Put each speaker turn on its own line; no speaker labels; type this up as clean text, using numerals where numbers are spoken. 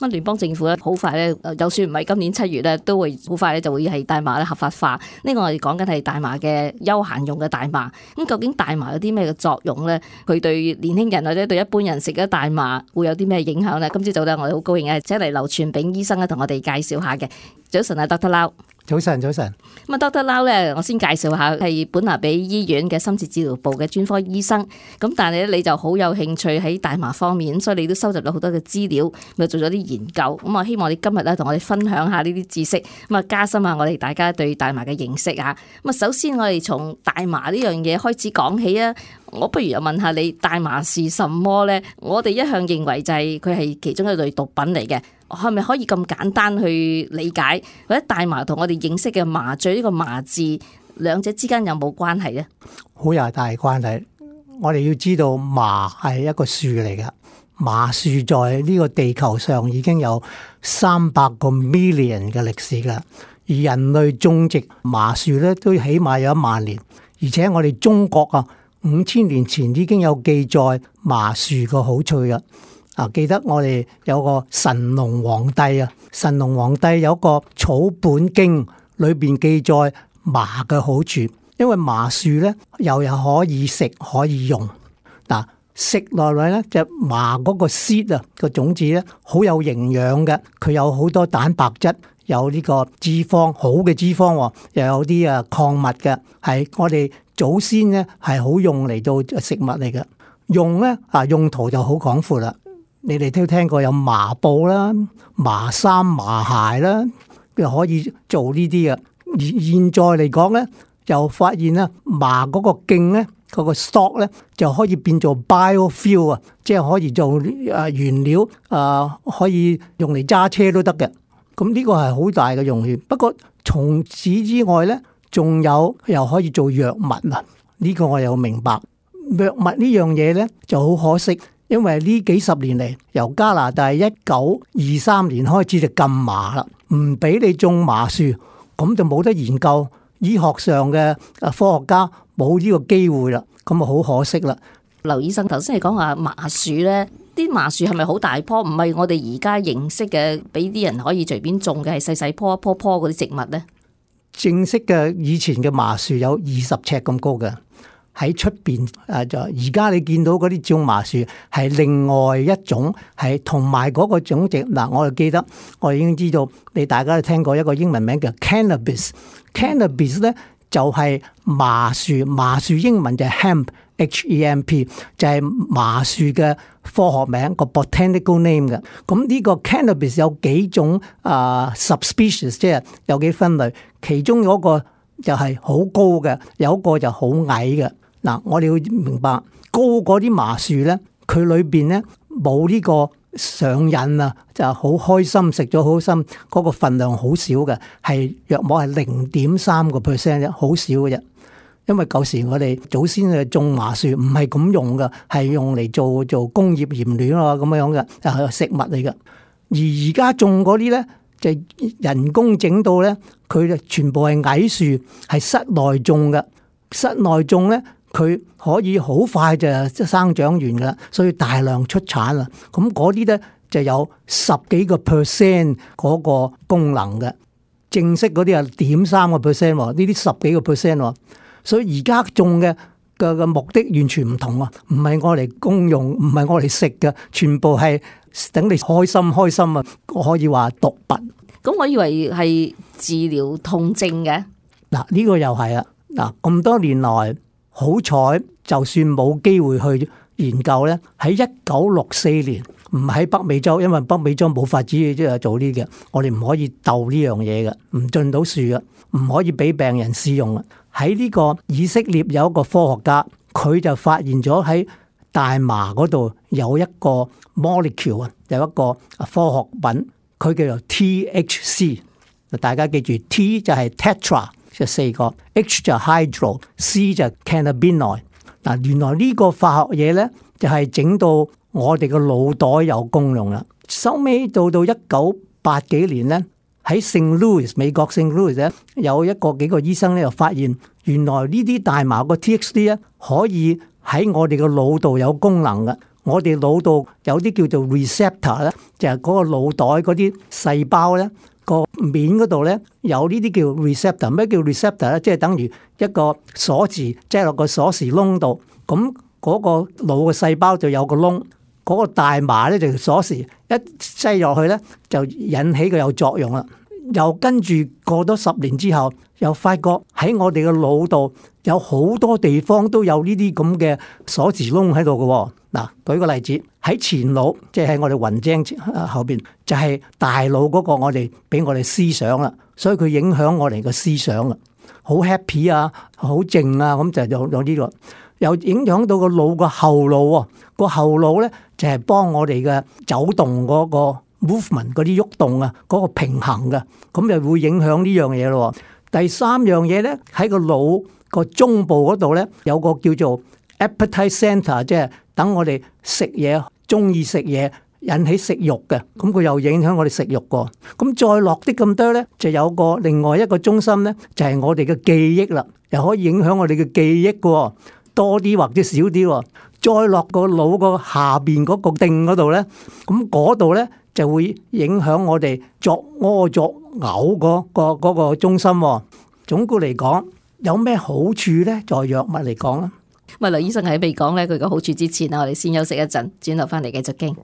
咁聯邦政府咧好快咧，就算唔係今年7月咧，都會好快咧就會係大麻咧合法化。呢個我哋講緊係大麻嘅休閒用嘅大麻。咁究竟大麻有啲咩嘅作用咧？佢對年輕人或者對一般人食咗大麻會有啲咩影響咧？今朝早咧我哋好高興嘅請嚟劉傳炳醫生咧同我哋介紹下嘅。早晨啊，Dr. Lau。
早晨。咁啊，Dr.
Lau 咧，我先介紹下係本拿比醫院嘅深切治療部嘅專科醫生。咁但係咧，你就好有興趣喺大麻方面，所以你都收集咗好多嘅資料，又做咗啲研究。咁我希望你今日咧同我哋分享下呢啲知識，咁啊加深下我哋大家對大麻嘅認識啊。咁啊，首先我哋從大麻呢樣嘢開始講起啊。我不如又問下你，大麻是什麼咧？我哋一向認為就係佢係其中一類毒品嚟嘅。係咪可以咁簡單去理解？或者大麻同我哋認識嘅麻醉呢個麻字，兩者之間有冇關係呢？
好有大關係。我哋要知道麻係一個樹嚟嘅，麻樹在呢個地球上已經有300個 million 嘅歷史啦。而人類種植麻樹咧都起碼有1萬年，而且我哋中國啊5000年前已經有記載麻樹嘅好處嘅。記得我哋有個神農皇帝啊，神農皇帝有個草本經裏邊記載麻嘅好處，因為麻樹咧又可以食可以用。嗱，食落嚟咧就麻嗰個 seed 啊個種子咧好有營養嘅，佢有好多蛋白質，有呢個脂肪，好嘅脂肪，又有啲礦物嘅，係我哋祖先咧係好用嚟做食物嚟嘅。用咧用途就好廣闊啦。你哋都聽過有麻布啦、麻衫、麻鞋啦，又可以做呢啲嘅。而現在嚟講咧，又發現啦，麻嗰個莖咧，嗰個 stalk 咧，就可以變做 biofuel 啊，即係可以做原料可以用嚟揸車都得嘅。咁呢個係好大嘅用處。不過從此之外咧，仲有又可以做藥物啊。呢個我又明白。藥物呢樣嘢咧就好可惜。因為呢幾十年嚟，由加拿大1923年開始就禁麻啦，唔俾你種麻樹，咁就冇得研究。醫學上嘅科學家冇呢個機會啦，咁啊好可惜啦。
劉醫生頭先係講話麻樹咧，啲麻樹係咪好大棵？唔係我哋而家認識嘅，俾啲人可以隨便種嘅，係細細棵一棵棵嗰啲植物咧。
正式嘅以前嘅麻樹有20尺咁高嘅。喺出邊就而家你見到嗰啲種麻樹係另外一種，係同埋嗰個種植嗱，我就記得我已經知道，你大家都聽過一個英文名叫 cannabis。cannabis 咧就係麻樹，麻樹英文就係 hemp，H-E-M-P， 就係麻樹嘅科學名個 botanical name 嘅。咁呢個 cannabis 有幾種subspecies， 即係有幾分類，其中有一個就係好高嘅，有一個就好矮嘅。嗱，我哋要明白高嗰啲麻樹咧，佢裏邊咧冇呢個上癮啊，就好開心食咗好心，嗰個份量好少嘅，係約莫係0.3%啫，好少嘅啫。因為舊時我哋祖先嘅種麻樹唔係咁用嘅，係用嚟做工業燃料啊咁樣嘅，係食物嚟嘅。而而家種嗰啲咧就人工整到咧，佢就全部係矮樹，係室內種嘅。室內種咧，佢可以好快就生長完噶啦，所以大量出產啦。咁嗰啲咧就有10幾個%嗰個功能嘅，正式嗰啲係0.3%，呢啲10幾個%。所以而家種嘅目的完全唔同啊，唔係我嚟公用，唔係我嚟食嘅，全部係等你開心啊！我可以話毒品。
咁我以為係治療痛症嘅。
嗱，呢個又係啊！嗱，咁多年來，好彩就算冇機會去研究咧，喺1964年，唔喺北美洲，因為北美洲冇法子即係做呢嘅，我哋唔可以鬥呢樣嘢嘅，唔進到樹嘅，唔可以俾病人試用嘅。喺呢個以色列有一個科學家，佢就發現咗喺大麻嗰度有一個 molecule 啊，有一個科學品，佢叫做 THC。大家記住 ，T 就係 tetra。就4個 ，H 就 hydro，C 就 cannabinoid。嗱，原來呢個化學嘢咧，就係整到我哋個腦袋有功用啦。收尾到1980幾年咧，喺聖路易斯美國聖路易斯咧，有幾個醫生咧，又發現原來呢啲大麻個 THC 咧，可以喺我哋個腦度有功能嘅。我哋腦度有啲叫做 receptor 咧，就係嗰個腦袋嗰啲細胞咧，個面嗰度咧有呢啲叫 receptor。咩叫 receptor 咧？即係等於一個鎖匙，即係落個鎖匙窿度。咁嗰個腦嘅細胞就有個窿，嗰個大麻咧就鎖匙一擠落去咧，就引起佢有作用啦。又跟住過多10年之後，又發覺喺我哋嘅腦度有好多地方都有呢啲咁嘅鎖匙窿喺度嘅。嗱，舉個例子，喺前腦，即係喺我哋雲精後邊，就係大腦嗰個我哋俾我哋思想啦，所以佢影響我哋嘅思想啊，好 happy 啊，好靜啊，咁就有呢個。又影響到個腦個後腦喎，個後腦咧就係幫我哋嘅走動嗰個 movement 嗰啲喐動啊，嗰個平衡嘅，咁又會影響呢樣嘢咯。第3樣嘢咧，喺個腦個中部嗰度咧有個叫做 appetite center， 即係等我哋食嘢中意食嘢引起食慾嘅，咁佢又影響我哋食慾個。咁再落啲咁多咧，就有個另外一個中心咧，就係我哋嘅記憶啦，又可以影響我哋嘅記憶嘅。多啲或者少啲，再落個腦個下邊嗰個頂嗰度咧，咁嗰度咧就會影響我哋作屙作嘔嗰個中心。總括嚟講，有咩好處咧？在藥物嚟講啊，
咪劉醫生喺未講咧佢嘅好處之前啊，我哋先休息一陣，轉頭翻嚟繼續傾。